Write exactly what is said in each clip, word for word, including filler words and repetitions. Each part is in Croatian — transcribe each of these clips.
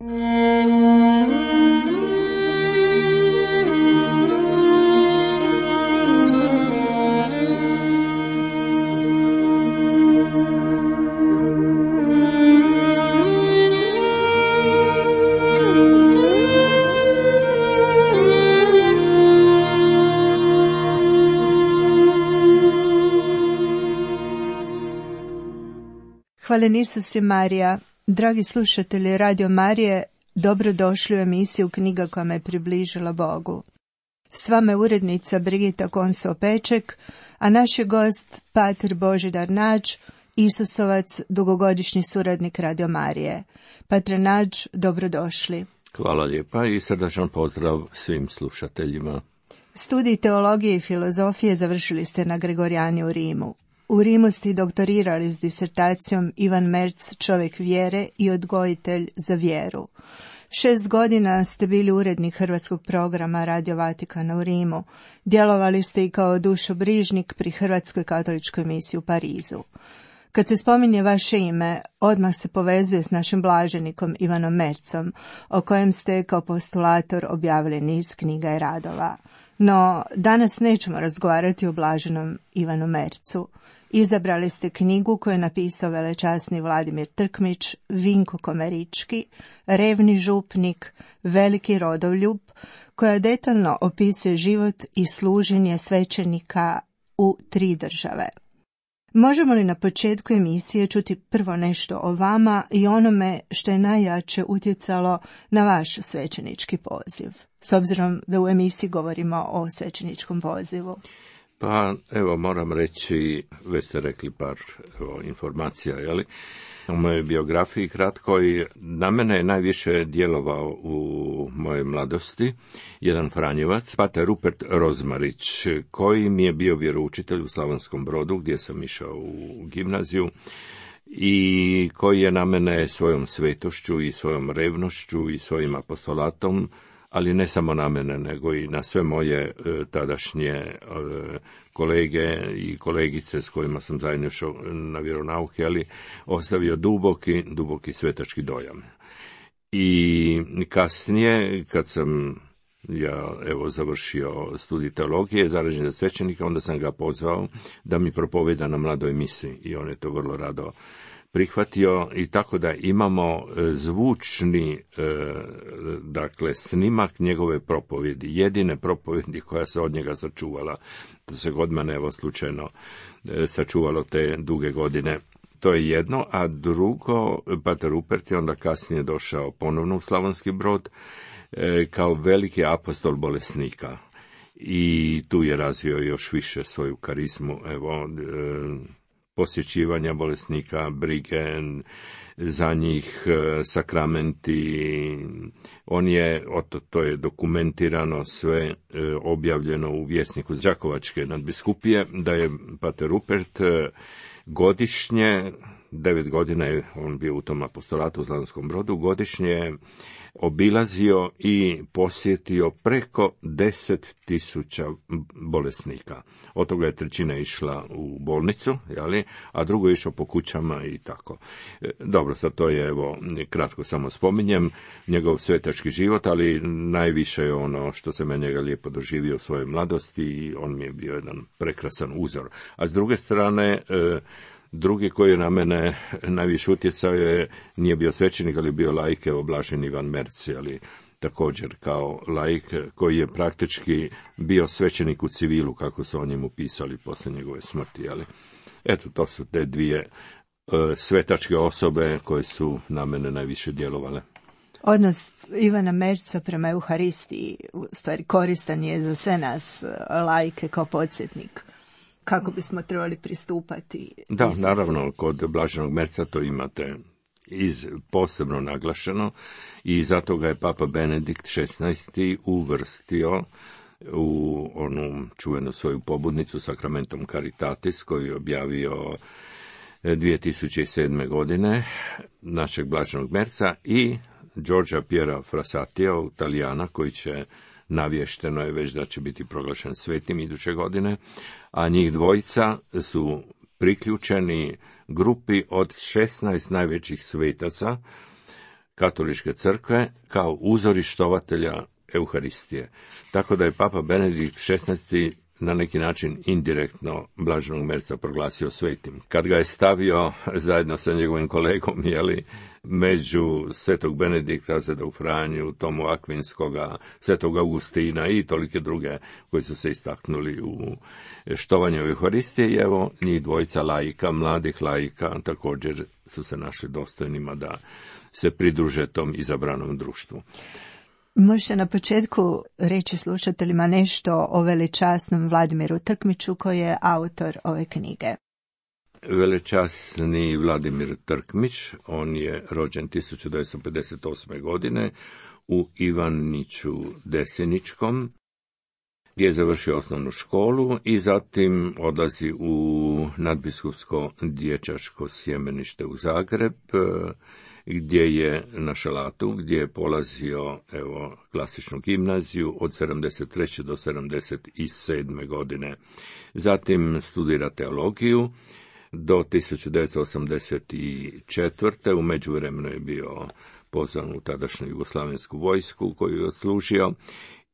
Hvala Isus i Marija. Dragi slušatelji Radio Marije, dobrodošli u emisiju Knjiga koja me približila Bogu. S vama je urednica Brigita Konso-Peček, a naš je gost pater Božidar Nađ, Isusovac, dugogodišnji suradnik Radio Marije. Patre Nađ, dobrodošli. Hvala lijepa i srdačan pozdrav svim slušateljima. Studij teologije i filozofije završili ste na Gregorijani u Rimu. U Rimu ste doktorirali s disertacijom Ivan Merz, čovjek vjere i odgojitelj za vjeru. Šest godina ste bili urednik hrvatskog programa Radio Vatikana u Rimu. Djelovali ste i kao dušobrižnik pri Hrvatskoj katoličkoj misiji u Parizu. Kad se spominje vaše ime, odmah se povezuje s našim blaženikom Ivanom Merzom, o kojem ste kao postulator objavili niz knjiga i radova. No, danas nećemo razgovarati o blaženom Ivanu Merzu. Izabrali ste knjigu koju je napisao velečasni Vladimir Trkmić, Vinko Komerički, Revni župnik, Veliki rodoljub, koja detaljno opisuje život i služenje svećenika u tri države. Možemo li na početku emisije čuti prvo nešto o vama i onome što je najjače utjecalo na vaš svećenički poziv, s obzirom da u emisiji govorimo o svećeničkom pozivu? Pa, evo, moram reći, već ste rekli par evo, informacija, jeli? U mojoj biografiji kratko i na mene je najviše djelovao u mojoj mladosti jedan Franjevac, pater Rupert Rozmarić, koji mi je bio vjeroučitelj u Slavonskom Brodu, gdje sam išao u gimnaziju, i koji je na mene svojom svetošću i svojom revnošću i svojim apostolatom, ali ne samo na mene, nego i na sve moje e, tadašnje e, kolege i kolegice s kojima sam zajedno išao na vjeronauke, ali ostavio duboki, duboki svetački dojam. I kasnije, kad sam ja evo završio studij teologije, zarađen za svećenika, onda sam ga pozvao da mi propoveda na mladoj misi i on je to vrlo rado prihvatio, i tako da imamo zvučni e, dakle snimak njegove propovjedi, jedine propovjedi koja se od njega sačuvala. To se kod mene evo slučajno e, sačuvalo te duge godine. To je jedno, a drugo, pater Rupert je onda kasnije došao ponovno u Slavonski Brod e, kao veliki apostol bolesnika i tu je razvio još više svoju karizmu, evo, e, posjećivanja bolesnika, brige za njih, sakramenti. On je, oto, to je dokumentirano sve, objavljeno u Vjesniku Đakovačke nadbiskupije, da je pater Rupert godišnje, devet godina je on bio u tom apostolatu u Slavonskom Brodu, godišnje obilazio i posjetio preko deset tisuća bolesnika. Od toga je trećina išla u bolnicu, jeli, a drugo je išao po kućama i tako. Dobro, sad to je, evo, kratko samo spominjem, njegov svetački život, ali najviše je ono što se me njega lijepo doživio u svojoj mladosti i on mi je bio jedan prekrasan uzor. A s druge strane, drugi koji je na mene najviše utjecao je, nije bio svećenik, ali bio laik, evo blaženi Ivan Merz, ali također kao laik koji je praktički bio svećenik u civilu, kako su o njemu pisali poslije njegove smrti. Ali eto, to su te dvije e, svetačke osobe koje su na mene najviše djelovale. Odnos Ivana Merza prema Euharistiji, u stvari koristan je za sve nas laike kao podsjetnik. Kako bismo trebali pristupati? Da, Isusu. Naravno, kod blaženog Merza to imate iz posebno naglašeno i zato ga je Papa Benedikt šesnaesti uvrstio u onu čuvenu svoju pobudnicu Sacramentum Caritatis koju je objavio dvije tisuće sedme. godine našeg blaženog Merza i Giorgia Piera Frassatija, Italijana, koji će, navješteno je već da će biti proglašen svetim iduće godine, a njih dvojica su priključeni grupi od šesnaest najvećih svetaca katoličke crkve kao uzori štovatelja Euharistije. Tako da je Papa Benedikt šesnaesti na neki način indirektno blaženog Merca proglasio svetim. Kad ga je stavio zajedno sa njegovim kolegom, jeli, među svetog Benedikta, svetog Franju, Tomu Akvinskoga, svetog Augustina i tolike druge koji su se istaknuli u štovanju Euharistije, i evo njih dvojica laika, mladih laika, također su se našli dostojnima da se pridruže tom izabranom društvu. Možete na početku reći slušateljima nešto o velečasnom Vladimiru Trkmiću koji je autor ove knjige. Velečasni Vladimir Trkmić, on je rođen tisuću devetsto pedeset osme. godine u Ivaniću Deseničkom, gdje je završio osnovnu školu i zatim odlazi u nadbiskupsko dječačko sjemenište u Zagreb, gdje je na Šalatu, gdje je polazio evo klasičnu gimnaziju od sedamdeset treće do sedamdeset sedme. godine. Zatim studira teologiju do tisuću devetsto osamdeset četvrte. U međuvremenu je bio pozvan u tadašnju jugoslavensku vojsku koju je odslužio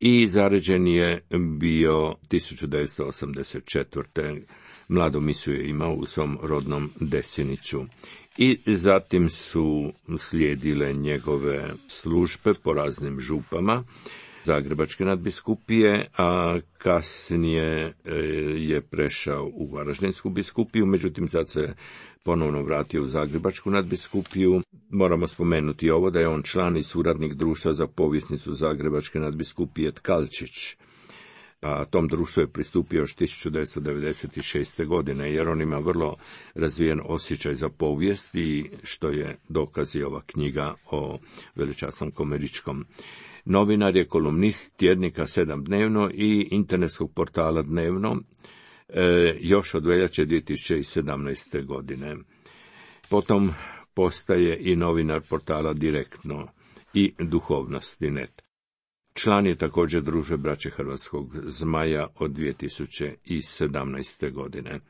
i zaređen je bio tisuću devetsto osamdeset četvrte. Mladu misiju je imao u svom rodnom Deseniću. I zatim su slijedile njegove službe po raznim župama Zagrebačke nadbiskupije, a kasnije je prešao u Varaždinsku biskupiju, međutim sad se ponovno vratio u Zagrebačku nadbiskupiju. Moramo spomenuti ovo da je on član i suradnik društva za povjesnicu Zagrebačke nadbiskupije Tkalčić. A tom društvu je pristupio još tisuću devetsto devedeset šeste. godine, jer on ima vrlo razvijen osjećaj za povijest, i što je dokaz i ova knjiga o velečasnom Komeričkom. Novinar je, kolumnist tjednika Sedam dnevno i internetskog portala Dnevno, e, još od veljače dvije tisuće sedamnaeste. godine. Potom postaje i novinar portala Direktno i Duhovnosti punto net. Član je također Družbe braće Hrvatskog zmaja od dvije tisuće sedamnaeste. godine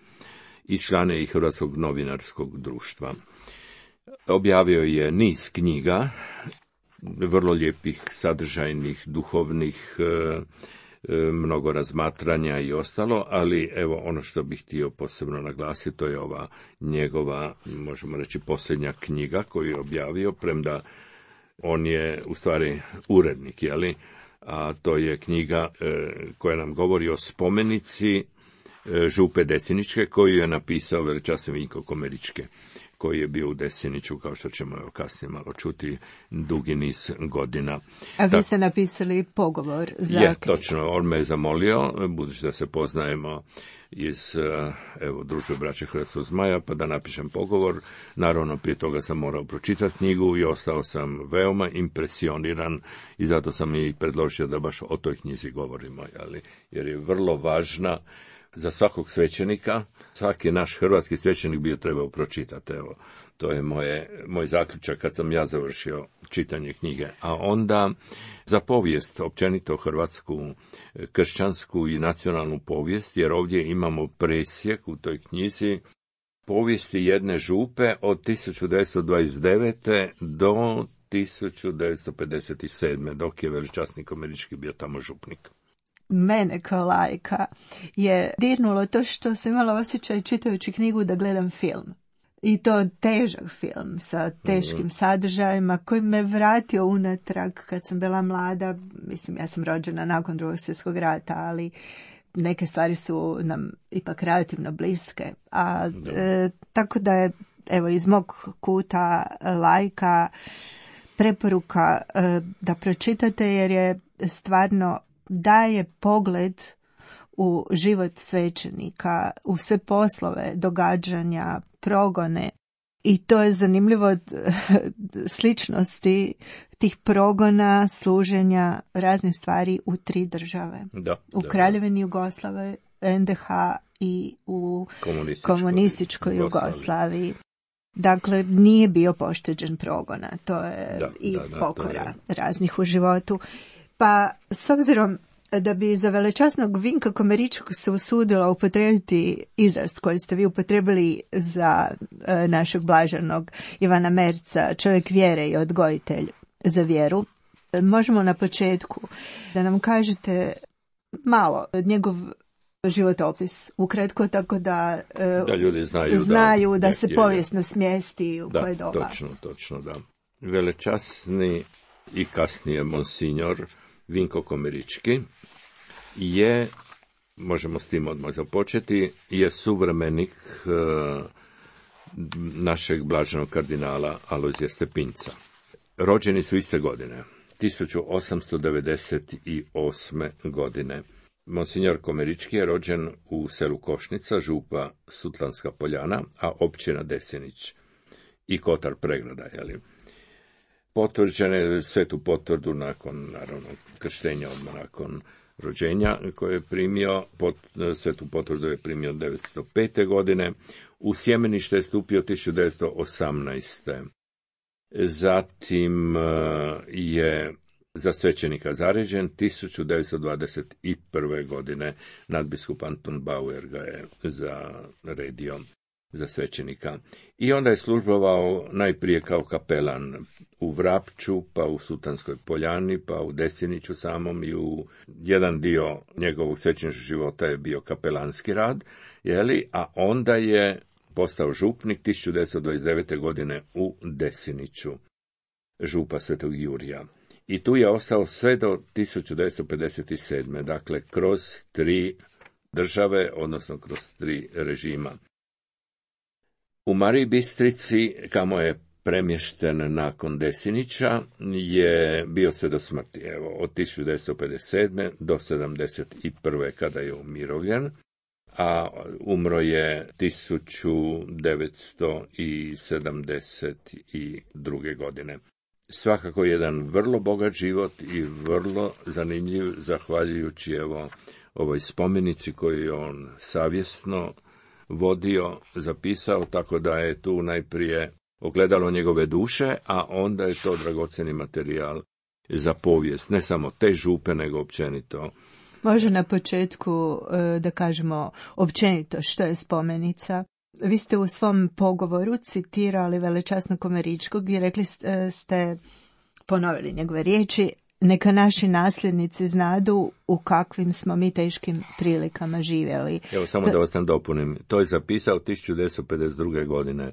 i član je i Hrvatskog novinarskog društva. Objavio je niz knjiga, vrlo lijepih, sadržajnih, duhovnih, mnogo razmatranja i ostalo, ali evo ono što bih htio posebno naglasiti, to je ova njegova, možemo reći, posljednja knjiga koju je objavio, premda on je u stvari urednik, jeli? A to je knjiga e, koja nam govori o spomenici e, župe Deseničke, koju je napisao velečasni Vinko Komeričke, koji je bio u Deseniću, kao što ćemo evo kasnije malo čuti, dugi niz godina. A vi ste napisali pogovor za... Je, točno, on me je zamolio, budući da se poznajemo iz evo, Društva braće Hrvatskog zmaja, pa da napišem pogovor. Naravno, prije toga sam morao pročitati knjigu i ostao sam veoma impresioniran, i zato sam i predložio da baš o toj knjizi govorimo, jeli? Jer je vrlo važna za svakog svećenika. Svaki naš hrvatski svećenik bi ju trebao pročitati. Evo, to je moje, moj zaključak kad sam ja završio čitanje knjige. A onda za povijest, općenito hrvatsku, kršćansku i nacionalnu povijest, jer ovdje imamo presjek u toj knjizi povijesti jedne župe od tisuću devetsto dvadeset devete. do tisuću devetsto pedeset sedme. dok je velečasni Komerički bio tamo župnik. Mene kao lajka je dirnulo to što sam imala osjećaj čitajući knjigu da gledam film. I to težak film sa teškim mm. sadržajima koji me vratio unatrag kad sam bila mlada. Mislim, ja sam rođena nakon Drugog svjetskog rata, ali neke stvari su nam ipak relativno bliske. A, e, tako da je, evo, iz mog kuta lajka preporuka e, da pročitate, jer je stvarno daje pogled u život svećenika, u sve poslove, događanja, progone. I to je zanimljivo od sličnosti tih progona, služenja raznih stvari u tri države. Da, u da, Kraljevini Jugoslavije, en de ha i u komunističkoj, komunističkoj Jugoslaviji. Jugoslaviji. Dakle, nije bio pošteđen progona. To je da, i da, da, pokora je... raznih u životu. Pa, s obzirom Da bi za velečasnog Vinka Komeričkog se usudila upotrijebiti izraz koji ste vi upotrijebili za e, našeg blaženog Ivana Merca, čovjek vjere i odgojitelj za vjeru, e, možemo na početku da nam kažete malo njegov životopis, ukratko, tako da, e, da ljudi znaju, znaju da, da je, se je, povijesno smjesti u da, koje doba. Točno, točno, da. Velečasni i kasnije monsinjor Vinko Komerički je, možemo s tim odmah započeti, je suvremenik e, našeg blaženog kardinala Alojzija Stepinca. Rođeni su iste godine, tisuću osamsto devedeset osme. godine. Monsinjor Komerički je rođen u selu Košnica, župa Sutlanska Poljana, a općina Desinić i Kotar Pregrada, jeli. Potvrđene svetu potvrdu nakon, naravno, krštenja, odmah nakon rođenja koje je primio, pot, svetu potvrdu je primio devetsto pete. godine, u sjemenište je stupio tisuću devetsto osamnaeste. Zatim je za svećenika zaređen tisuću devetsto dvadeset prve. godine, nadbiskup Anton Bauer ga je zaredio za svećenika. I onda je službovao najprije kao kapelan u Vrapču, pa u Sutanskoj Poljani, pa u Desiniću samom, i u jedan dio njegovog svećeničkog života je bio kapelanski rad, jeli, a onda je postao župnik tisuću devetsto dvadeset devete. godine u Desiniću, župa Svetog Jurija. I tu je ostao sve do tisuću devetsto pedeset sedme. Dakle, kroz tri države, odnosno kroz tri režima. U Mariji Bistrici, kamo je premješten nakon Desinića, je bio sve do smrti. Evo, od tisuću devetsto pedeset sedme. do sedamdeset prve. kada je umirovljen, a umro je tisuću devetsto sedamdeset druge. godine. Svakako jedan vrlo bogat život i vrlo zanimljiv, zahvaljujući evo ovoj spomenici koju je on savjesno vodio, zapisao, tako da je tu najprije ogledalo njegove duše, a onda je to dragocjeni materijal za povijest, ne samo te župe, nego općenito. Može na početku da kažemo općenito što je spomenica. Vi ste u svom pogovoru citirali velečasnog Komeričkog i rekli ste, ponovili njegove riječi, neka naši nasljednici znadu u kakvim smo mi teškim prilikama živjeli. Evo, samo to... da vas tam dopunim. To je zapisao tisuću devetsto pedeset druge. godine,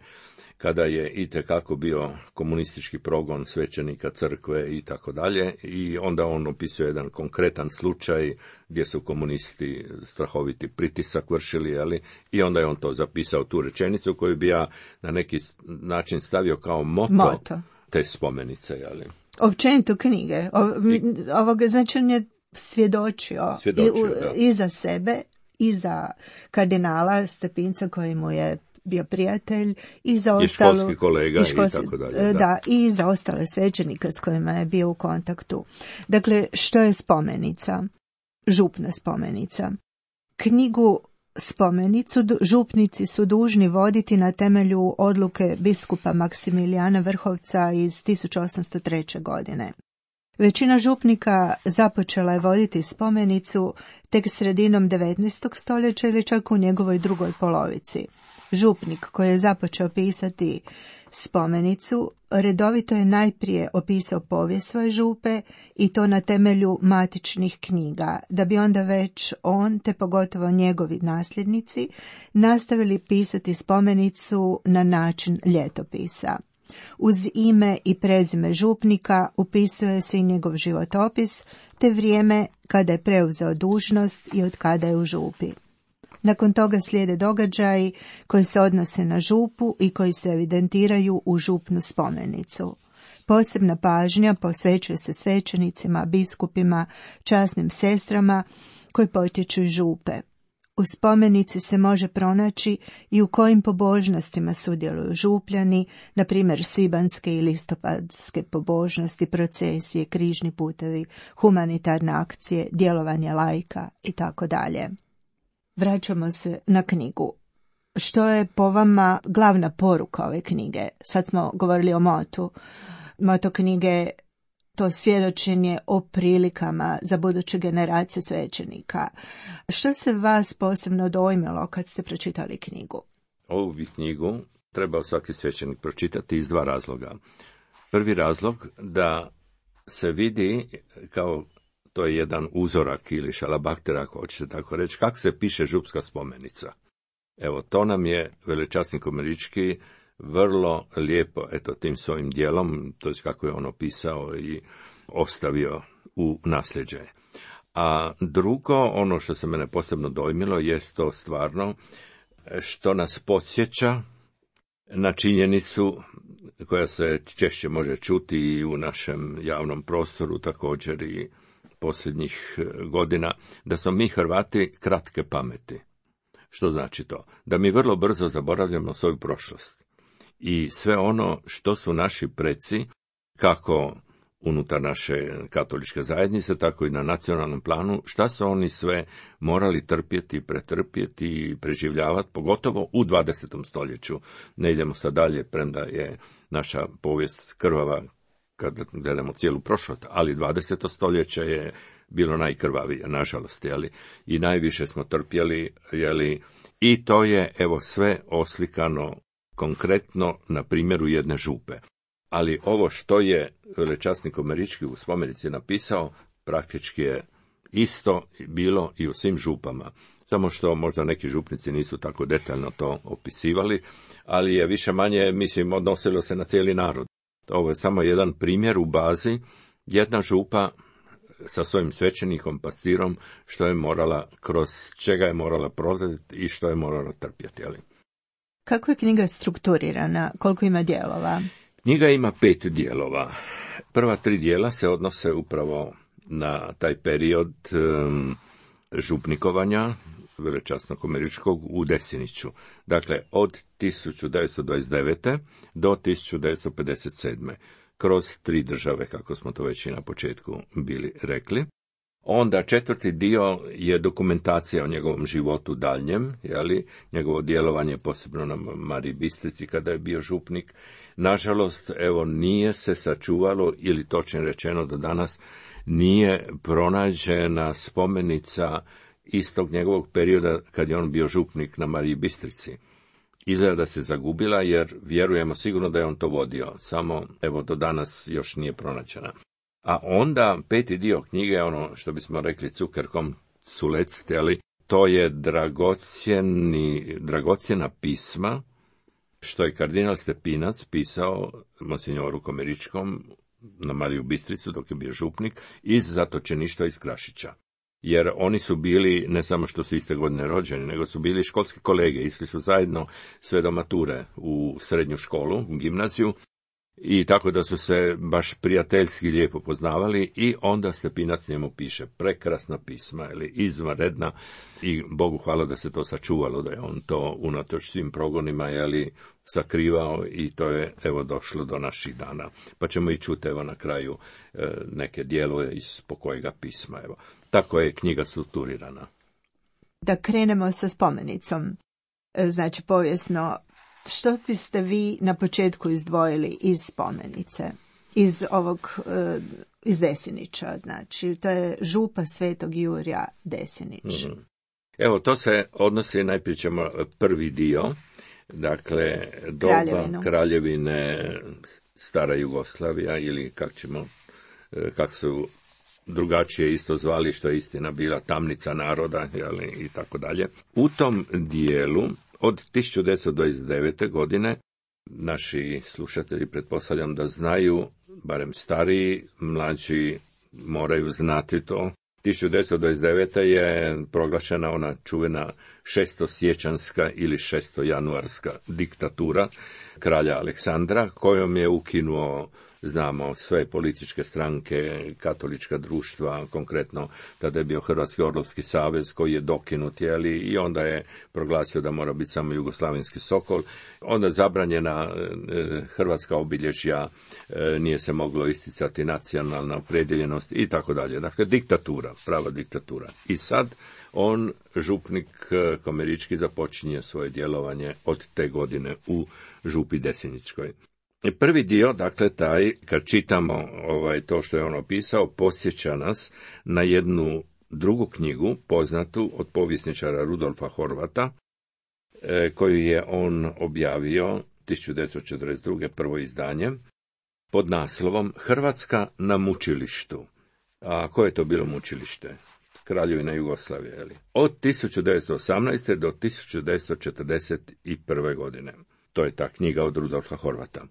kada je itekako bio komunistički progon svećenika, crkve i tako dalje, i onda on opisuje jedan konkretan slučaj gdje su komunisti strahoviti pritisak vršili, jeli, i onda je on to zapisao, tu rečenicu koju bi ja na neki način stavio kao moto, moto. te spomenice, jeli. Općenito knjige. O, ovoga, znači on je svjedočio, svjedočio i, i za sebe, i za kardinala Stepinca koji mu je bio prijatelj, i za ostalu, i školski kolega i, školski, i tako dalje. Da. da, i za ostale svećenike s kojima je bio u kontaktu. Dakle, što je spomenica? Župna spomenica. Knjigu spomenicu župnici su dužni voditi na temelju odluke biskupa Maksimilijana Vrhovca iz tisuću osamsto treće. godine. Većina župnika započela je voditi spomenicu tek sredinom devetnaestog. stoljeća ili čak u njegovoj drugoj polovici. Župnik koji je započeo pisati spomenicu redovito je najprije opisao povijest svoje župe i to na temelju matičnih knjiga, da bi onda već on, te pogotovo njegovi nasljednici, nastavili pisati spomenicu na način ljetopisa. Uz ime i prezime župnika upisuje se i njegov životopis, te vrijeme kada je preuzeo dužnost i od kada je u župi. Nakon toga slijede događaji koji se odnose na župu i koji se evidentiraju u župnu spomenicu. Posebna pažnja posvećuje se svećenicima, biskupima, časnim sestrama koji potječu iz župe. U spomenici se može pronaći i u kojim pobožnostima sudjeluju župljani, na primjer svibanske i listopadske pobožnosti, procesije, križni putevi, humanitarne akcije, djelovanje laika i tako dalje. Vraćamo se na knjigu. Što je po vama glavna poruka ove knjige? Sad smo govorili o motu. Moto knjige to svjedočenje o prilikama za buduće generacije svećenika. Što se vas posebno dojmilo kad ste pročitali knjigu? Ovu bi knjigu trebao svaki svećenik pročitati iz dva razloga. Prvi razlog da se vidi kao to je jedan uzorak ili šalabahter, ako hoćete tako reći, kako se piše župska spomenica. Evo, to nam je velečasnik Komarički vrlo lijepo, eto, tim svojim dijelom, to je kako je on opisao i ostavio u nasljeđe. A drugo, ono što se mene posebno dojmilo, jest to stvarno što nas podsjeća na činjenicu koja se češće može čuti i u našem javnom prostoru, također i posljednjih godina, da smo mi Hrvati kratke pameti. Što znači to? Da mi vrlo brzo zaboravljamo svoju prošlost. I sve ono što su naši preci, kako unutar naše katoličke zajednice, tako i na nacionalnom planu, šta su oni sve morali trpjeti, pretrpjeti i preživljavati, pogotovo u dvadesetom stoljeću. Ne idemo sad dalje, premda je naša povijest krvava kad gledamo cijelu prošlost, ali dvadeseto stoljeće je bilo najkrvavije, nažalost, jeli, i najviše smo trpjeli, jeli, i to je, evo, sve oslikano konkretno na primjeru jedne župe. Ali ovo što je velečasnik Komarički u spomenici napisao, praktički je isto bilo i u svim župama. Samo što možda neki župnici nisu tako detaljno to opisivali, ali je više manje, mislim, odnosilo se na cijeli narod. Ovo je samo jedan primjer u bazi, jedna župa sa svojim svećenikom, pastirom, što je morala, kroz čega je morala prolaziti i što je morala trpjeti. Ali. Kako je knjiga strukturirana? Koliko ima dijelova? Knjiga ima pet dijelova. Prva tri dijela se odnose upravo na taj period um, župnikovanja velečasnog Komaričkog u Desiniću. Dakle, od tisuću devetsto dvadeset devete do tisuću devetsto pedeset sedme. Kroz tri države, kako smo to već i na početku bili rekli. Onda četvrti dio je dokumentacija o njegovom životu daljnjem, jeli, njegovo djelovanje posebno na Mariji Bistrici kada je bio župnik. Nažalost, evo, nije se sačuvalo, ili točno rečeno do danas, nije pronađena spomenica istog njegovog perioda kad je on bio župnik na Mariji Bistrici. Izgleda da se zagubila, jer vjerujemo sigurno da je on to vodio, samo evo do danas još nije pronađena. A onda peti dio knjige, ono što bismo rekli cukerkom sulecite, ali to je dragocjeni, dragocjena pisma, što je kardinal Stepinac pisao monsignoru Komaričkom na Mariju Bistricu dok je bio župnik iz zatočeništva iz Krašića. Jer oni su bili, ne samo što su iste godine rođeni, nego su bili školski kolege, išli su zajedno sve do mature u srednju školu, u gimnaziju, i tako da su se baš prijateljski lijepo poznavali, i onda Stepinac njemu piše prekrasna pisma, ili izvanredna, i Bogu hvala da se to sačuvalo, da je on to unatoč svim progonima, jeli, sakrivao, i to je, evo, došlo do naših dana. Pa ćemo i čuti, evo, na kraju e, neke dijelove iz pokojega pisma, evo. Tako je knjiga strukturirana. Da krenemo sa spomenicom, znači povijesno, što biste vi na početku izdvojili iz spomenice, iz ovog, iz Desinića, znači, to je župa Svetog Jurja Desinić. Mm. Evo, to se odnosi, najprije ćemo prvi dio, dakle, doba Kraljevinu. Kraljevine Stara Jugoslavija, ili kako ćemo, kako su drugačije isto zvali, što je istina bila tamnica naroda, jeli, i tako dalje. U tom dijelu od tisuću devetsto dvadeset devete. godine, naši slušatelji pretpostavljam da znaju, barem stariji, mlađi moraju znati to. tisuću devetsto dvadeset devete. je proglašena ona čuvena šestosiječanska ili šestojanuarska diktatura kralja Aleksandra, kojom je ukinuo, znamo, sve političke stranke, katolička društva, konkretno tada je bio Hrvatski orlovski savez koji je dokinut, jeli, i onda je proglasio da mora biti samo jugoslavenski sokol. Onda zabranjena e, hrvatska obilježja, e, nije se moglo isticati nacionalna opredjeljenost i tako dalje. Dakle, diktatura, prava diktatura. I sad on, župnik Komarički, započinje svoje djelovanje od te godine u župi Desiničkoj. Prvi dio, dakle, taj, kad čitamo ovaj, to što je on opisao, podsjeća nas na jednu drugu knjigu, poznatu od povjesničara Rudolfa Horvata, e, koju je on objavio tisuću devetsto četrdeset druge. prvo izdanje, pod naslovom Hrvatska na mučilištu. A koje je to bilo mučilište? Kraljevina Jugoslavije, je li? Od tisuću devetsto osamnaeste. do tisuću devetsto četrdeset prve. godine. To je ta knjiga od Rudolfa Horvata.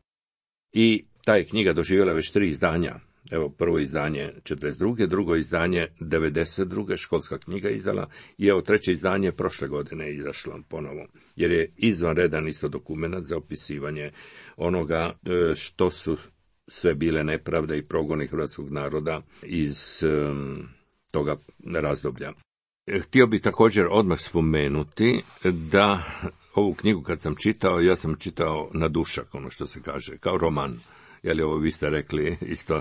I ta je knjiga doživjela već tri izdanja. Evo, prvo izdanje četrdeset druge. drugo izdanje devedeset druge. školska knjiga izdala, i evo treće izdanje prošle godine je izašlo ponovo, jer je izvanredan isto dokument za opisivanje onoga što su sve bile nepravde i progoni hrvatskog naroda iz um, toga razdoblja. Htio bih također odmah spomenuti da ovu knjigu kad sam čitao, ja sam čitao na dušak, ono što se kaže, kao roman. Jeli, ovo vi ste rekli isto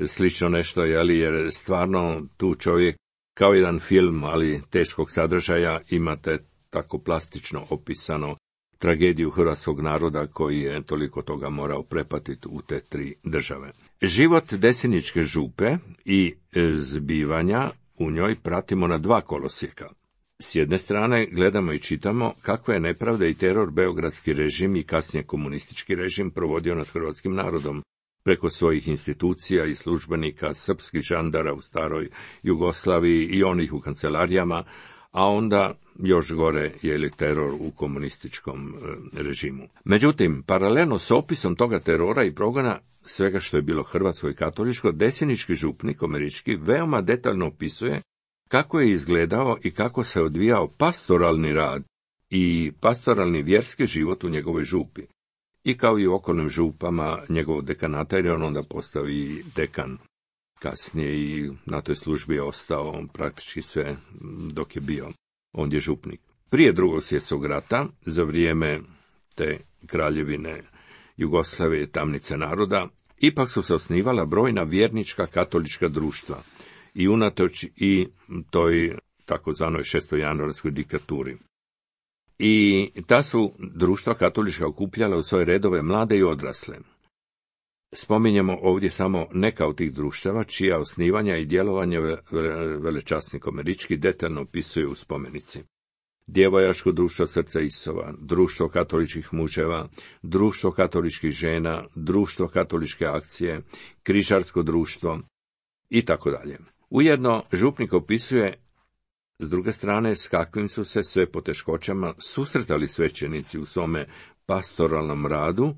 slično nešto, jeli, jer stvarno tu čovjek kao jedan film, ali teškog sadržaja, imate tako plastično opisano tragediju hrvatskog naroda koji je toliko toga morao prepatiti u te tri države. Život Deseničke župe i zbivanja u njoj pratimo na dva kolosijeka. S jedne strane gledamo i čitamo kako je nepravda i teror beogradski režim i kasnije komunistički režim provodio nad hrvatskim narodom preko svojih institucija i službenika, srpskih žandara u staroj Jugoslaviji i onih u kancelarijama, a onda još gore je li teror u komunističkom režimu. Međutim, paralelno s opisom toga terora i progona svega što je bilo hrvatsko i katoličko, desenički župnik Omerički veoma detaljno opisuje kako je izgledao i kako se odvijao pastoralni rad i pastoralni vjerski život u njegovoj župi. I kao i u okolnim župama njegovog dekanata, jer je on onda postao i dekan. Kasnije i na toj službi je ostao praktički sve dok je bio ondje župnik. Prije drugog svjetskog rata, za vrijeme te kraljevine Jugoslavije, tamnice naroda, ipak su se osnivala brojna vjernička katolička društva i unatoč i toj takozvanoj šestojanuarskoj diktaturi. I ta su društva katolička okupljala u svoje redove mlade i odrasle. Spominjemo ovdje samo neka od tih društava, čija osnivanja i djelovanje velečasnik Omerički detaljno opisuje u spomenici. Djevojačko društvo Srca Isova, društvo katoličkih muževa, društvo katoličkih žena, društvo katoličke akcije, križarsko društvo i tako dalje. Ujedno župnik opisuje s druge strane s kakvim su se sve poteškoćama susretali svećenici u svome pastoralnom radu,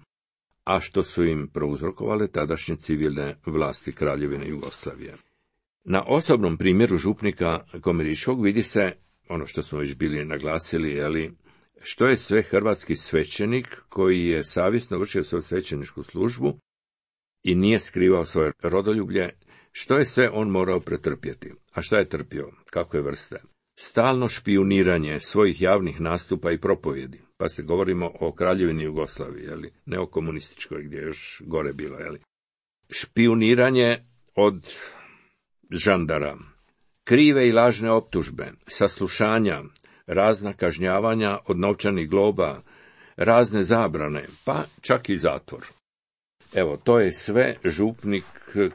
a što su im prouzrokovale tadašnje civilne vlasti Kraljevine Jugoslavije. Na osobnom primjeru župnika Komeričkog vidi se ono što smo već bili naglasili, jeli, što je sve hrvatski svećenik koji je savjesno vršio svoju svećeničku službu i nije skrivao svoje rodoljublje, što je sve on morao pretrpjeti. A šta je trpio? Kakve vrste? Stalno špijuniranje svojih javnih nastupa i propovjedi. Pa se govorimo o Kraljevini Jugoslaviji, jeli, ne o komunističkoj gdje je još gore bilo. Jeli. Špijuniranje od žandara, krive i lažne optužbe, saslušanja, razna kažnjavanja od novčanih globa, razne zabrane, pa čak i zatvor. Evo, to je sve župnik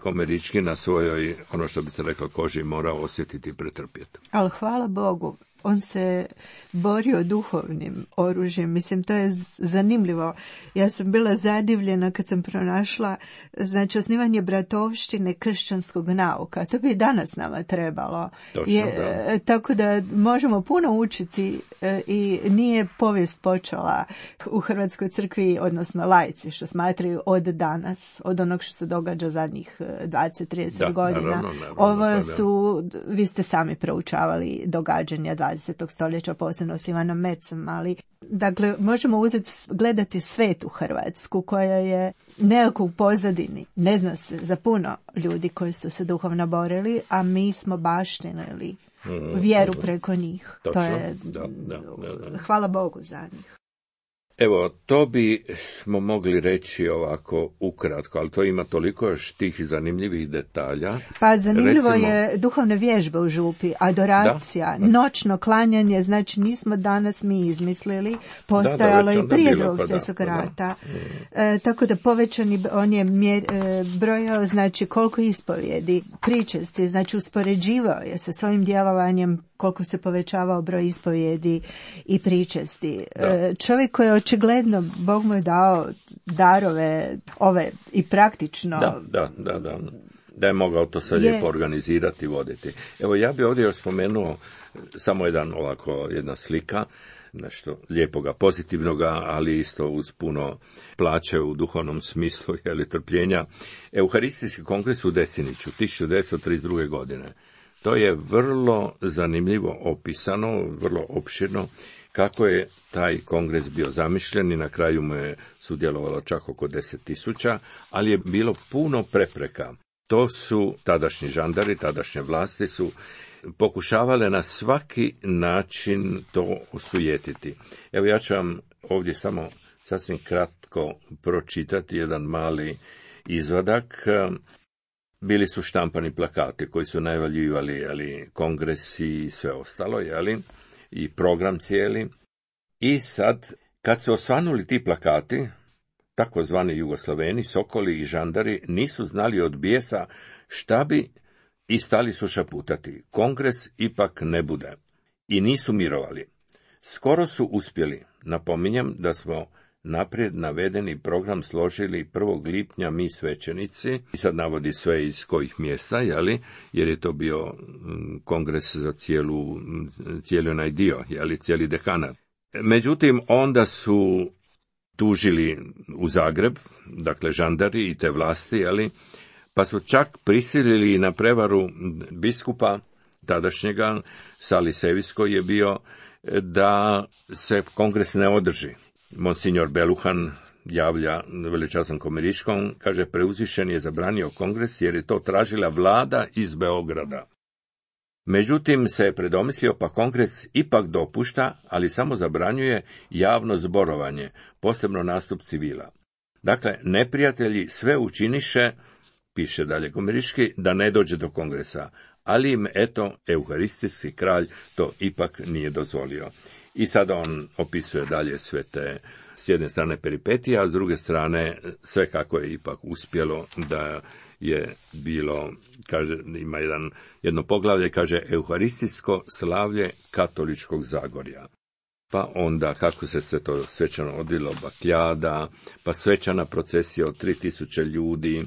Komerički na svojoj, ono što bi se reklo, koži morao osjetiti i pretrpjeti. Ali hvala Bogu, on se borio duhovnim oružjem. Mislim, to je zanimljivo. Ja sam bila zadivljena kad sam pronašla, znači, osnivanje bratovštine kršćanskog nauka. To bi danas nama trebalo. Točno, je, da. Tako da možemo puno učiti i nije povijest počela u Hrvatskoj crkvi, odnosno laici, što smatraju od danas, od onog što se događa zadnjih dvadeset do trideset godina. Naravno, naravno, Ovo su, vi ste sami proučavali događanja dvadesetog stoljeća, posebno s Ivanom Mercem, ali dakle, možemo uzeti, gledati svetu Hrvatsku koja je nekako u pozadini. Ne zna se za puno ljudi koji su se duhovno borili, a mi smo baštinili vjeru preko njih. Točno, To je, da, da, da, da. hvala Bogu za njih. Evo, to bi smo mogli reći ovako ukratko, ali to ima toliko još tih zanimljivih detalja. Pa zanimljivo Recimo, je duhovne vježbe u župi, adoracija, da, da. noćno klanjanje, znači nismo danas mi izmislili, postojalo da, da, i prije bilo, drugog pa svjetskog da, rata. Da. E, tako da povećani, on je mjer, e, brojao, znači koliko ispovjedi, pričesti, znači uspoređivao je sa svojim djelovanjem koliko se povećavao broj ispovjedi i pričesti. E, čovjek koji je očigledno, Bog mu je dao darove ove i praktično. Da, da, da, da. Da je mogao to sve je... lijepo organizirati i voditi. Evo, ja bih ovdje još spomenuo samo jedan ovako, jedna slika, nešto lijepoga, pozitivnoga, ali isto uz puno plaće u duhovnom smislu, jeli, trpljenja. Euharistijski kongres u Desiniću, tisuću devetsto trideset druge. godine. To je vrlo zanimljivo opisano, vrlo opširno, kako je taj kongres bio zamišljen i na kraju mu je sudjelovalo čak oko deset tisuća, ali je bilo puno prepreka. To su tadašnji žandari, tadašnje vlasti su pokušavale na svaki način to osujetiti. Evo, ja ću vam ovdje samo sasvim kratko pročitati jedan mali izvadak. Bili su štampani plakati koji su najavljivali, jeli, kongresi i sve ostalo, jeli, i program cijeli. I sad, kad su osvanuli ti plakati, takozvani Jugoslaveni, sokoli i žandari nisu znali od bijesa šta bi i stali su šaputati. Kongres ipak ne bude. I nisu mirovali. Skoro su uspjeli. Napominjem da smo naprijed navedeni program složili prvog lipnja mi svećenici, i sad navodi sve iz kojih mjesta, jeli, jer je to bio kongres za cijelu, cijeli onaj dio, jeli, cijeli dekanat. Međutim, onda su tužili u Zagreb, dakle žandari i te vlasti, jeli, pa su čak prisilili na prevaru biskupa tadašnjega, Salisevis koji je bio, da se kongres ne održi. Monsignor Beluhan javlja veličasnom Komeriškom, kaže, preuzvišen je zabranio kongres jer je to tražila vlada iz Beograda. Međutim, se je predomislio, pa kongres ipak dopušta, ali samo zabranjuje javno zborovanje, posebno nastup civila. Dakle, neprijatelji sve učiniše, piše dalje Komeriški, da ne dođe do kongresa, ali im, eto, euharistijski kralj to ipak nije dozvolio. I sada on opisuje dalje sve te, s jedne strane peripetije, a s druge strane sve kako je ipak uspjelo, da je bilo, kaže, ima jedan, jedno poglavlje, kaže, euharistijsko slavlje katoličkog Zagorja. Pa onda kako se sve to svečano odvilo, bakljada, pa svečana procesija od tri tisuće ljudi,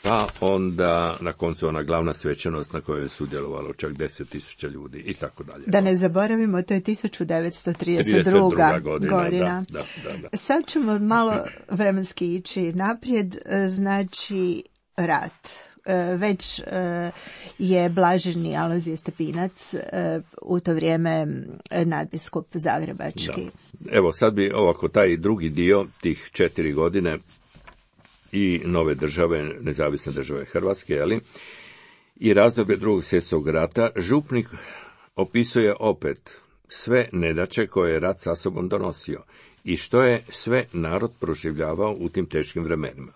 pa onda na koncu ona glavna svečanost na kojoj je sudjelovalo čak deset tisuća ljudi i tako dalje. Da ne zaboravimo, to je tisuću devetsto trideset druga. godina. godina. Da, da, da, da. Sad ćemo malo vremenski ići naprijed, znači rat. Već je blaženi Alojzije Stepinac u to vrijeme nadbiskup zagrebački. Da. Evo, sad bi ovako taj drugi dio tih četiri godine i nove države, nezavisne države Hrvatske, jeli, i razdoblje drugog svjetskog rata, župnik opisuje opet sve nedaće koje je rat sa sobom donosio i što je sve narod proživljavao u tim teškim vremenima.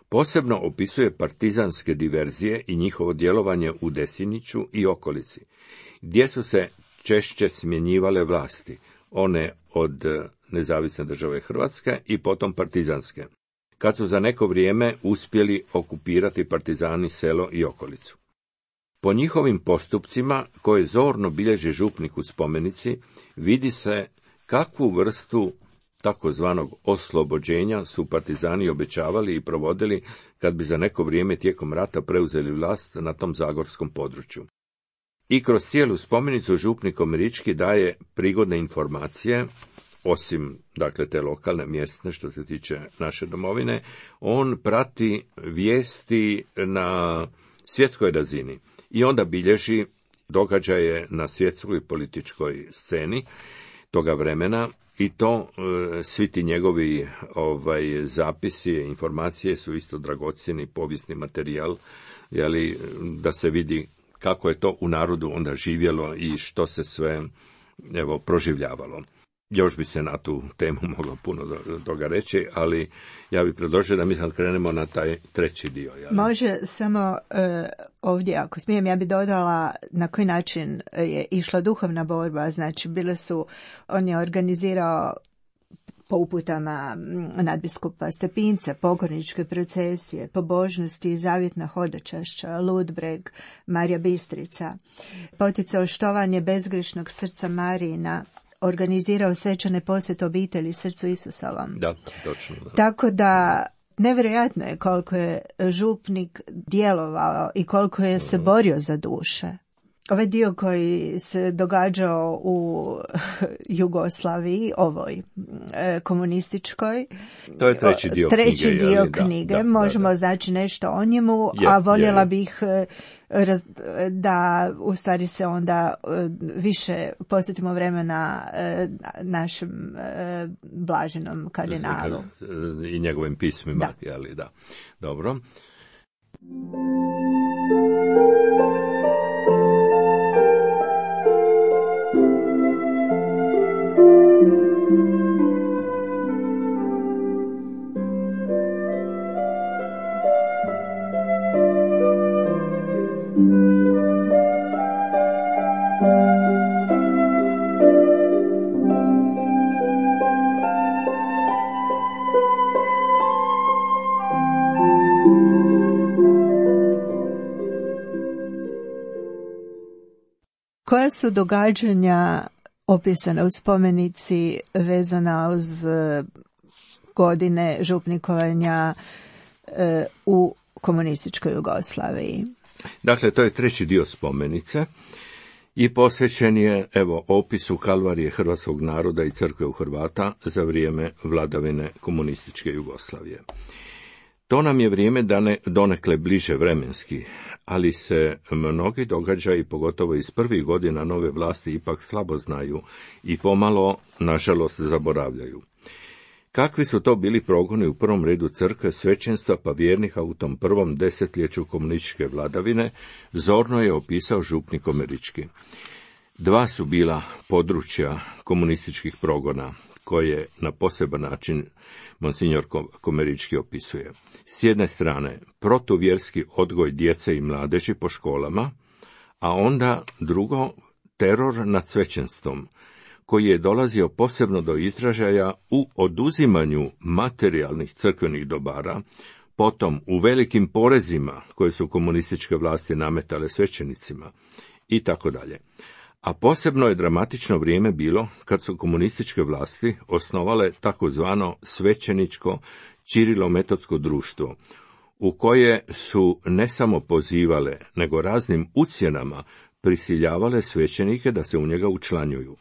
Posebno opisuje partizanske diverzije i njihovo djelovanje u Desiniću i okolici, gdje su se češće smjenjivale vlasti, one od nezavisne države Hrvatske i potom partizanske, kad su za neko vrijeme uspjeli okupirati partizani selo i okolicu. Po njihovim postupcima, koje zorno bilježi župnik u spomenici, vidi se kakvu vrstu takozvanog oslobođenja su partizani obećavali i provodili kad bi za neko vrijeme tijekom rata preuzeli vlast na tom zagorskom području. I kroz cijelu spomenicu župnik Komerički daje prigodne informacije, osim, dakle, te lokalne, mjesne, što se tiče naše domovine, on prati vijesti na svjetskoj razini i onda bilježi događaje na svjetskoj političkoj sceni toga vremena, i to e, svi ti njegovi ovaj, zapisi, informacije su isto dragocjeni povijesni materijal, jeli, da se vidi kako je to u narodu onda živjelo i što se sve, evo, proživljavalo. još bi se na tu temu moglo puno toga reći, ali ja bih predložio da mi sad krenemo na taj treći dio. Jel? Može samo uh, ovdje, ako smijem, ja bih dodala na koji način je išla duhovna borba. Znači, bile su, on je organizirao po uputama nadbiskupa Stepinca, pokorničke procesije, pobožnosti i zavjetna hodočašća, Ludbreg, Marija Bistrica, poticao štovanje bezgrešnog srca Marijina, organizirao svečane posjete obitelji srcu Isusovom. Da, točno. Da. Tako da nevjerojatno je koliko je župnik djelovao i koliko je se borio za duše. Ovaj dio koji se događao u Jugoslaviji, ovoj e, komunističkoj, to je treći dio treći knjige, dio jeli? knjige. Da, da, možemo da, da. znači nešto o njemu, Je, a voljela je, je. bih e, raz, da u stvari se onda e, više posjetimo vremena e, našem e, blaženom kardinalu. I njegovim pismima, Da. jeli, da. Dobro. Koja su događanja opisana u spomenici vezana uz godine župnikovanja e, u komunističkoj Jugoslaviji? Dakle, to je treći dio spomenice i posvećen je, evo, opisu kalvarije hrvatskog naroda i crkve u Hrvata za vrijeme vladavine komunističke Jugoslavije. To nam je vrijeme dane, donekle bliže vremenski, ali se mnogi događaji, pogotovo iz prvih godina nove vlasti, ipak slabo znaju i pomalo, nažalost, zaboravljaju. Kakvi su to bili progoni u prvom redu crkve, svećenstva pa vjernika u tom prvom desetljeću komunističke vladavine, zorno je opisao župnik Komerički. Dva su bila područja komunističkih progona, koje na poseban način monsignor Komerički opisuje. S jedne strane, protuvjerski odgoj djece i mladeži po školama, a onda drugo, teror nad svećenstvom, koji je dolazio posebno do izražaja u oduzimanju materijalnih crkvenih dobara, potom u velikim porezima koje su komunističke vlasti nametale svećenicima i tako dalje. A posebno je dramatično vrijeme bilo kad su komunističke vlasti osnovale takozvano svećeničko Čirilometodsko društvo, u koje su ne samo pozivale, nego raznim ucjenama prisiljavale svećenike da se u njega učlanjuju.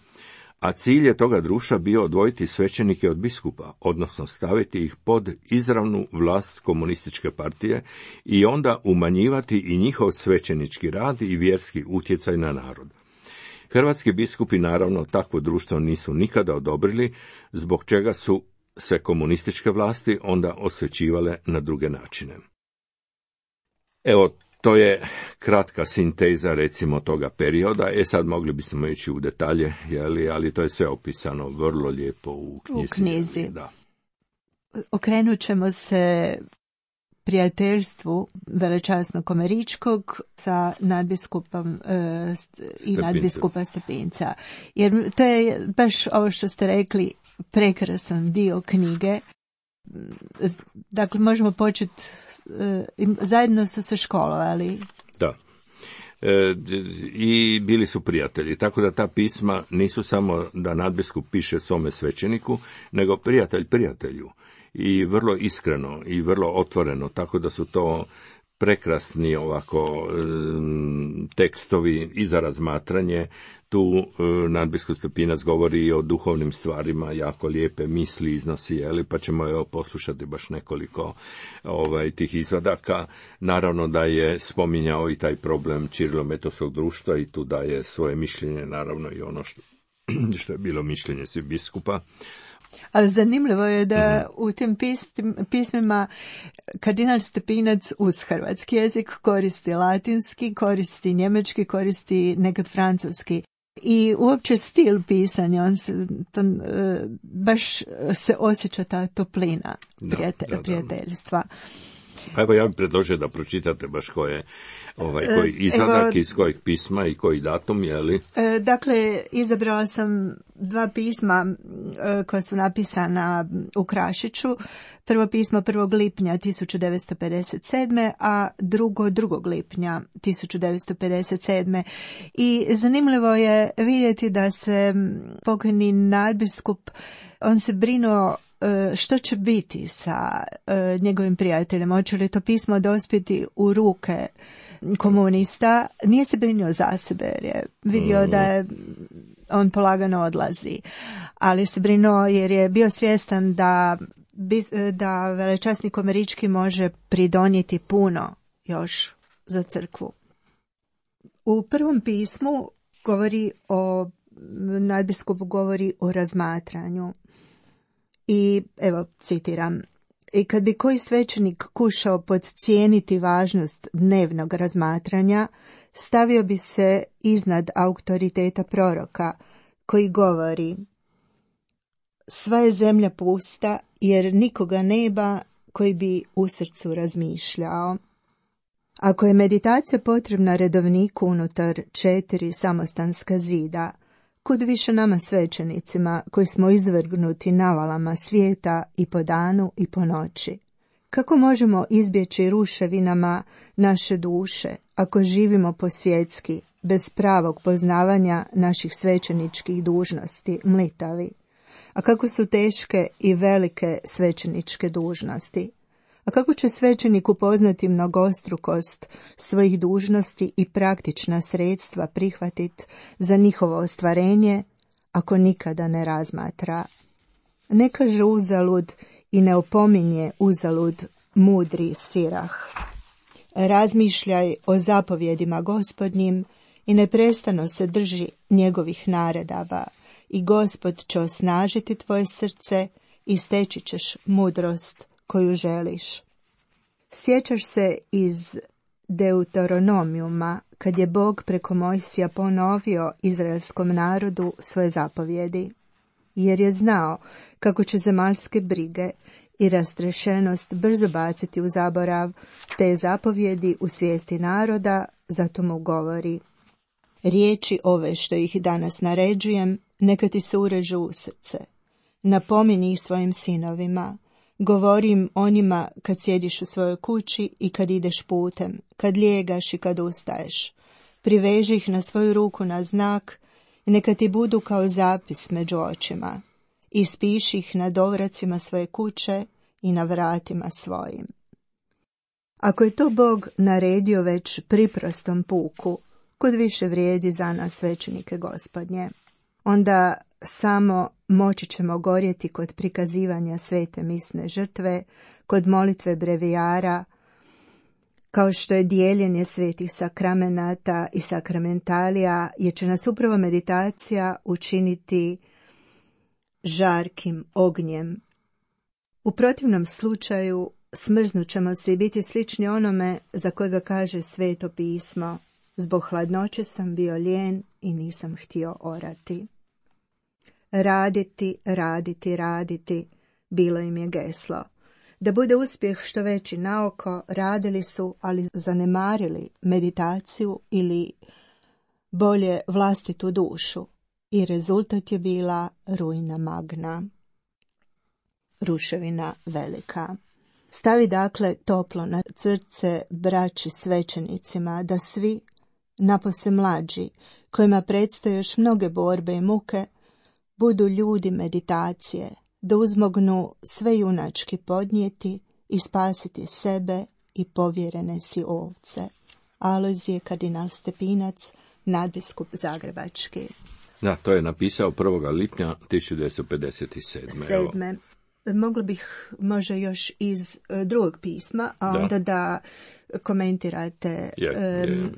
A cilj je toga društva bio odvojiti svećenike od biskupa, odnosno staviti ih pod izravnu vlast komunističke partije i onda umanjivati i njihov svećenički rad i vjerski utjecaj na narod. Hrvatski biskupi naravno takvo društvo nisu nikada odobrili, zbog čega su se komunističke vlasti onda osvećivale na druge načine. Evo, to je kratka sinteza, recimo, toga perioda. E sad mogli bismo ići u detalje, jeli, ali to je sve opisano vrlo lijepo u knjizi. U knjizi. Da. Okrenut ćemo se prijateljstvu velečasnog Komeričkog sa nadbiskupom e, i nadbiskupa Stepinca. Jer to je baš ovo što ste rekli, prekrasan dio knjige. Dakle, možemo početi, e, zajedno su se školovali. Da. E, i bili su prijatelji, tako da ta pisma nisu samo da nadbiskup piše svome svećeniku, nego prijatelj prijatelju. I vrlo iskreno i vrlo otvoreno, tako da su to prekrasni ovako tekstovi i za razmatranje. Tu nadbiskup Stepinac govori i o duhovnim stvarima, jako lijepe misli iznosi, jeli, pa ćemo evo poslušati baš nekoliko ovaj, tih izvadaka. Naravno da je spominjao i taj problem Čirilometodskog društva i tu daje svoje mišljenje, naravno i ono što, što je bilo mišljenje svih biskupa. Ali zanimljivo je da u tim pismima kardinal Stepinac uz hrvatski jezik koristi latinski, koristi njemački, koristi nekad francuski. I uopće stil pisanja, on se, to, baš se osjeća ta toplina prijatelj, da, da, da. prijateljstva. Evo ja bih predložio da pročitate baš koje, ovaj, koji izadak, Evo, iz kojeg pisma i koji datum, je li? Dakle, izabrala sam dva pisma koja su napisana u Krašiću. Prvo pismo prvog lipnja tisuću devetsto pedeset sedme. a drugo drugog lipnja tisuću devetsto pedeset sedme. I zanimljivo je vidjeti da se pokojni nadbiskup, on se brinuo što će biti sa uh, njegovim prijateljem, hoće li to pismo dospjeti u ruke komunista. Nije se brinuo za sebe jer je vidio da je on polagano odlazi, ali se brinuo jer je bio svjestan da, da velečasnik američki može pridonijeti puno još za crkvu. U prvom pismu govori o, nadbiskup govori o razmatranju. I evo citiram: i kad bi koji svećenik kušao podcijeniti važnost dnevnog razmatranja, stavio bi se iznad autoriteta proroka koji govori: sva je zemlja pusta jer nikoga nema koji bi u srcu razmišljao. Ako je meditacija potrebna redovniku unutar četiri samostanska zida, kud više nama svećenicima koji smo izvrgnuti navalama svijeta i po danu i po noći? Kako možemo izbjeći ruševinama naše duše ako živimo posvjetski, bez pravog poznavanja naših svećeničkih dužnosti, mlitavi? A kako su teške i velike svećeničke dužnosti? A kako će svećenik upoznati mnogostrukost svojih dužnosti i praktična sredstva prihvatiti za njihovo ostvarenje, ako nikada ne razmatra? Ne kaže uzalud i ne opominje uzalud mudri Sirah. Razmišljaj o zapovjedima Gospodnjim i neprestano se drži njegovih naredaba, i Gospod će osnažiti tvoje srce i steći ćeš mudrost koju želiš. Sjećaš se iz Deuteronomijuma kad je Bog preko Mojsija ponovio izraelskom narodu svoje zapovjedi, jer je znao kako će zemaljske brige i rastrešenost brzo baciti u zaborav te zapovjedi u svijesti naroda, zato mu govori: riječi ove što ih danas naređujem, neka ti se urežu u srce. Napomini ih svojim sinovima. Govorim o njima kad sjediš u svojoj kući i kad ideš putem, kad lijegaš i kad ustaješ. Priveži ih na svoju ruku na znak i neka ti budu kao zapis među očima. Ispiši ih na dovracima svoje kuće i na vratima svojim. Ako je to Bog naredio već priprostom puku, kud više vrijedi za nas svećenike Gospodnje, onda samo moći ćemo gorjeti kod prikazivanja svete misne žrtve, kod molitve brevijara, kao što je dijeljenje svetih sakramenata i sakramentalija, jer će nas upravo meditacija učiniti žarkim ognjem. U protivnom slučaju smrznut ćemo se i biti slični onome za kojega kaže Sveto pismo: zbog hladnoće sam bio lijen i nisam htio orati. Raditi, raditi, raditi, bilo im je geslo. Da bude uspjeh što veći na oko, radili su, ali zanemarili meditaciju ili bolje vlastitu dušu. I rezultat je bila ruina magna, ruševina velika. Stavi dakle toplo na srce braći svećenicima da svi, napose mlađi, kojima predstoje još mnoge borbe i muke, budu ljudi meditacije, da uzmognu sve junački podnijeti i spasiti sebe i povjerene si ovce. Alojzije kardinal Stepinac, nadbiskup zagrebački. Da, to je napisao prvog lipnja tisuću devetsto pedeset sedme. Sedme. Mogla bih možda još iz uh, drugog pisma, a onda da, da komentirate je, um, je.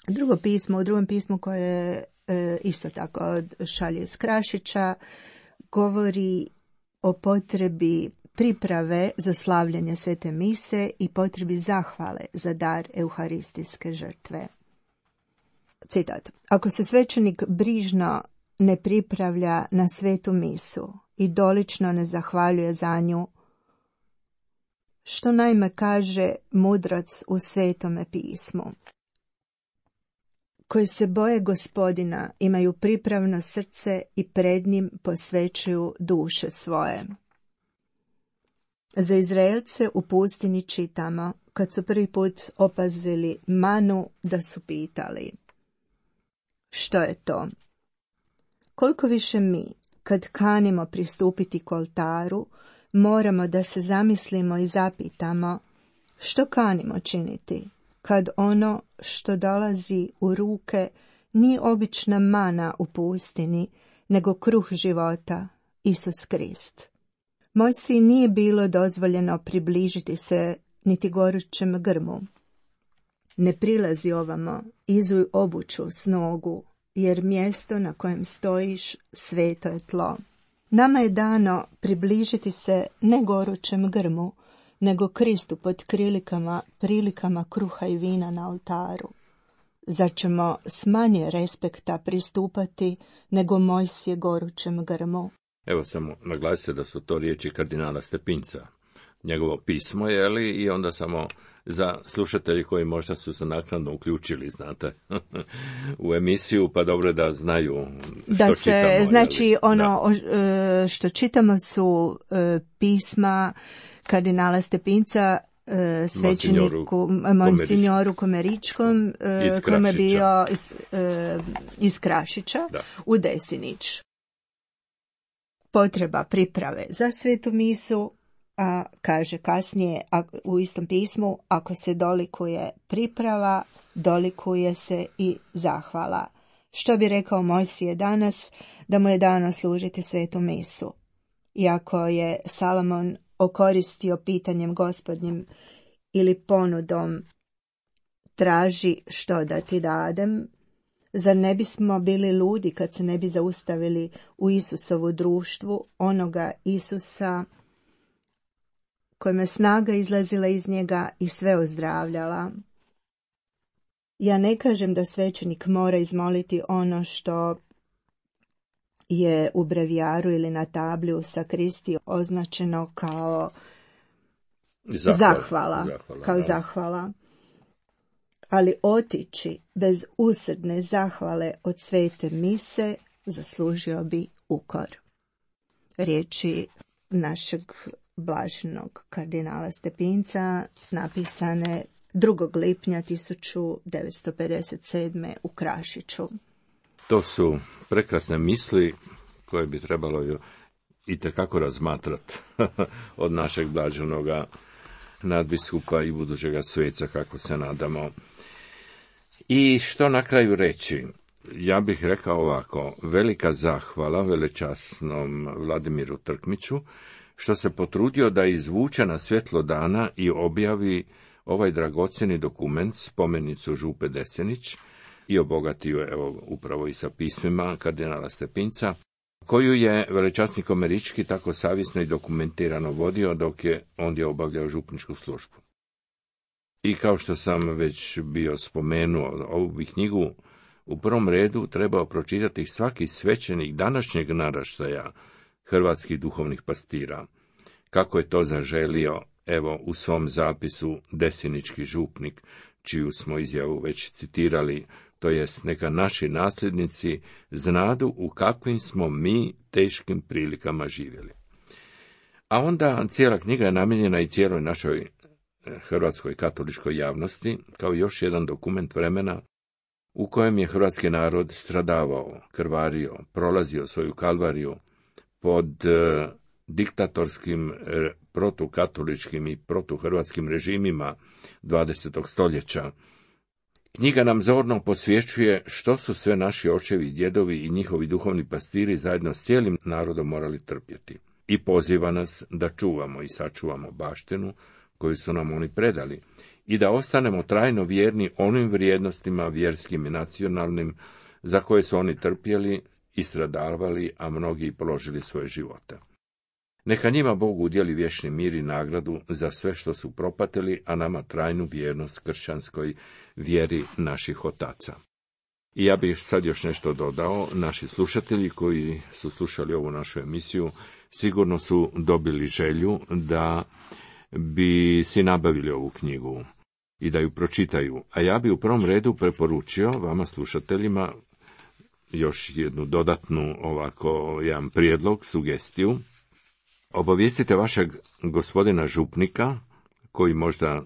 drugo pismo. U drugom pismu koje uh, isto tako šalje iz Krašića govori o potrebi priprave za slavljanje svete mise i potrebi zahvale za dar euharistijske žrtve. citat, ako se svećenik brižno ne pripravlja na svetu misu i dolično ne zahvaljuje za nju, što naime kaže mudrac u Svetome pismu. Koji se boje Gospodina imaju pripravno srce i pred njim posvećuju duše svoje. Za Izraelce u pustinji čitamo, kad su prvi put opazili manu, da su pitali: što je to? Koliko više mi, kad kanimo pristupiti k oltaru, moramo da se zamislimo i zapitamo što kanimo činiti, kad ono što dolazi u ruke nije obična mana u pustini, nego kruh života, Isus Krist. Mojsiji nije bilo dozvoljeno približiti se niti gorućem grmu. Ne prilazi ovamo, izuj obuću s nogu, jer mjesto na kojem stojiš sveto je tlo. Nama je dano približiti se ne gorućem grmu, nego Kristu pod krilikama, prilikama kruha i vina na oltaru. Zar ćemo s manje respekta pristupati nego Mojsije gorućem grmu? Evo samo naglasite da su to riječi kardinala Stepinca. Njegovo pismo je li i onda samo za slušatelji koji možda su se naknadno uključili, znate, u emisiju, pa dobro da znaju što da se, čitamo. Znači, jeli? ono Da. što čitamo su pisma kardinala Stepinca, svećeniku Monsignoru Komeričkom, kome je bio iz, iz Krašića, da. U Desinić. Potreba priprave za svetu misu, a kaže kasnije u istom pismu, ako se dolikuje priprava, dolikuje se i zahvala. Što bi rekao Mojsije danas, da mu je dano služiti svetu misu. Iako je Salomon okoristio pitanjem Gospodnjim ili ponudom traži što da ti dadem, zar ne bismo bili ludi kad se ne bi zaustavili u Isusovu društvu, onoga Isusa kojim je snaga izlazila iz njega i sve ozdravljala. Ja ne kažem da svećenik mora izmoliti ono što je u brevijaru ili na tabli u sakristiji označeno kao zahvala, zahvala, zahvala kao da. zahvala. Ali otići bez usrdne zahvale od svete mise zaslužio bi ukor. Riječi našeg blaženog kardinala Stepinca napisane drugog lipnja tisuću devetsto pedeset sedme u Krašiću. To su prekrasne misli koje bi trebalo itekako razmatrati od našeg blaženoga nadbiskupa i budućega sveca, kako se nadamo. I što na kraju reći? Ja bih rekao ovako: velika zahvala velečasnom Vladimiru Trkmiću što se potrudio da izvuče na svjetlo dana i objavi ovaj dragocjeni dokument, spomenicu Župe Desenić, i obogatio, evo, upravo i sa pismima kardinala Stepinca, koju je velečasnik Komerički tako savjesno i dokumentirano vodio dok je ondje obavljao župničku službu. I kao što sam već bio spomenuo, ovu bi knjigu u prvom redu trebao pročitati svaki svećenik današnjeg naraštaja hrvatskih duhovnih pastira, kako je to zaželio, evo, u svom zapisu desinički župnik, čiju smo izjavu već citirali, to jest neka naši nasljednici znadu u kakvim smo mi teškim prilikama živjeli. A onda cijela knjiga je namijenjena i cijeloj našoj hrvatskoj katoličkoj javnosti, kao još jedan dokument vremena u kojem je hrvatski narod stradavao, krvario, prolazio svoju kalvariju pod e, diktatorskim, e, protukatoličkim i protuhrvatskim režimima dvadesetog stoljeća. Knjiga nam zorno posvješćuje što su sve naši očevi, djedovi i njihovi duhovni pastiri zajedno s cijelim narodom morali trpjeti. I poziva nas da čuvamo i sačuvamo baštinu koju su nam oni predali i da ostanemo trajno vjerni onim vrijednostima vjerskim i nacionalnim za koje su oni trpjeli i stradavali, a mnogi i položili svoje živote. Neka njima Bog udjeli vječni mir i nagradu za sve što su propatili, a nama trajnu vjernost kršćanskoj vjeri naših otaca. I ja bih sad još nešto dodao. Naši slušatelji koji su slušali ovu našu emisiju sigurno su dobili želju da bi si nabavili ovu knjigu i da ju pročitaju. A ja bi u prvom redu preporučio vama slušateljima još jednu dodatnu ovako jedan prijedlog, sugestiju. Obavijestite vašeg gospodina župnika, koji možda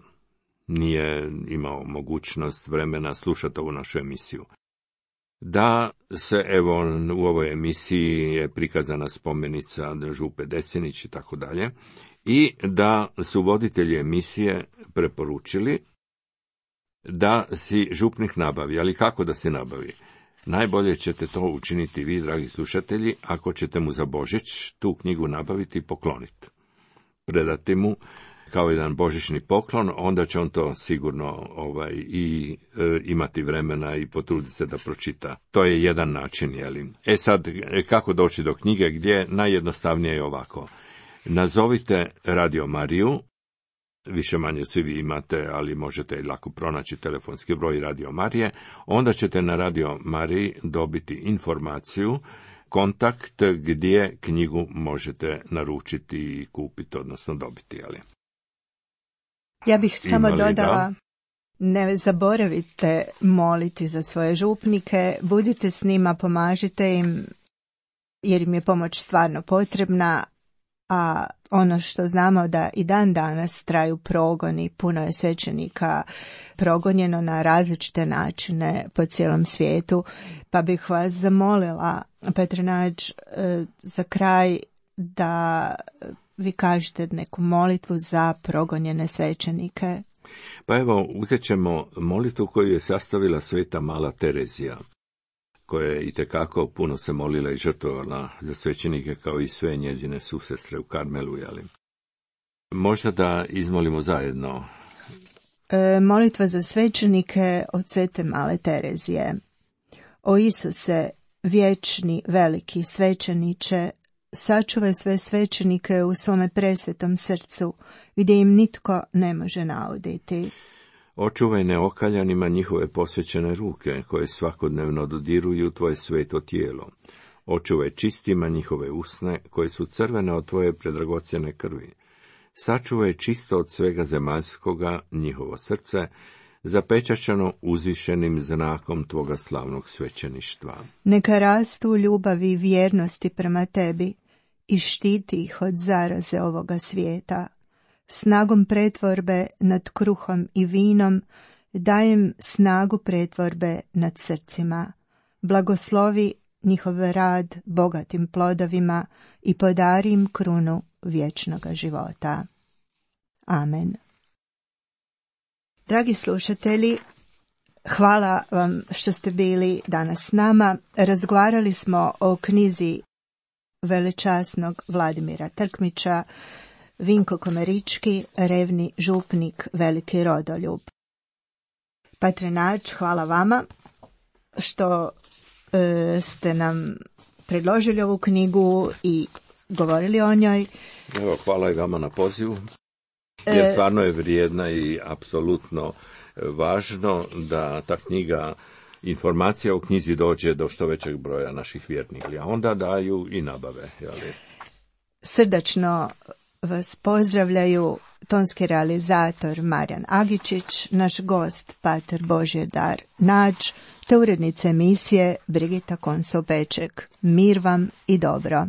nije imao mogućnost vremena slušati ovu našu emisiju, da se, evo, u ovoj emisiji je prikazana spomenica župe Desenić i tako dalje, i da su voditelji emisije preporučili da si župnik nabavi. Ali kako da se nabavi? Najbolje ćete to učiniti vi, dragi slušatelji, ako ćete mu za Božić tu knjigu nabaviti i pokloniti. Predati mu kao jedan božićni poklon, onda će on to sigurno ovaj, i e, imati vremena i potruditi se da pročita. To je jedan način, jeli. E sad, kako doći do knjige? Gdje? Najjednostavnije je ovako. Nazovite Radio Mariju, više manje svi vi imate, ali možete lako pronaći telefonski broj Radio Marije, onda ćete na Radio Mariji dobiti informaciju, kontakt gdje knjigu možete naručiti i kupiti, odnosno dobiti, ali. Ja bih samo Imali, dodala, da? Ne zaboravite moliti za svoje župnike, budite s njima, pomažite im, jer im je pomoć stvarno potrebna, a ono što znamo da i dan danas traju progoni, puno je svećenika progonjeno na različite načine po cijelom svijetu, pa bih vas zamolila, Petre Nađ, za kraj da vi kažete neku molitvu za progonjene svećenike. Pa evo, uzet ćemo molitvu koju je sastavila sveta Mala Terezija, koja je itekako puno se molila i žrtvovala za svećenike, kao i sve njezine susestre u Karmelu, jeli. Možda da izmolimo zajedno. E, molitva za svećenike od svete Male Terezije. O Isuse, vječni, veliki svećeniče, sačuvaj sve svećenike u svome presvetom srcu, gdje im nitko ne može nauditi. Očuvaj neokaljanima njihove posvećene ruke, koje svakodnevno dodiruju tvoje sveto tijelo. Očuvaj čistima njihove usne, koje su crvene od tvoje predragocjene krvi. Sačuvaj čisto od svega zemaljskoga njihovo srce, zapečaćeno uzvišenim znakom tvoga slavnog svećeništva. Neka rastu u ljubavi i vjernosti prema tebi i štiti ih od zaraze ovoga svijeta. Snagom pretvorbe nad kruhom i vinom dajem snagu pretvorbe nad srcima. Blagoslovi njihov rad bogatim plodovima i podari im krunu vječnoga života. Amen. Dragi slušatelji, hvala vam što ste bili danas s nama. Razgovarali smo o knjizi velečasnog Vladimira Trkmića, Vinko Komarički, revni župnik, veliki rodoljub. Petre Nađ, hvala vama što e, ste nam predložili ovu knjigu i govorili o njoj. Evo, hvala i vama na pozivu, jer stvarno je vrijedna i apsolutno važno da ta knjiga, informacija o knjizi dođe do što većeg broja naših vjernika, a onda daju i nabave. Jeli? Srdačno vas pozdravljaju tonski realizator Marijan Agičić, naš gost pater Božidar Nađ, te urednica emisije Brigita Konso-Peček. Mir vam i dobro.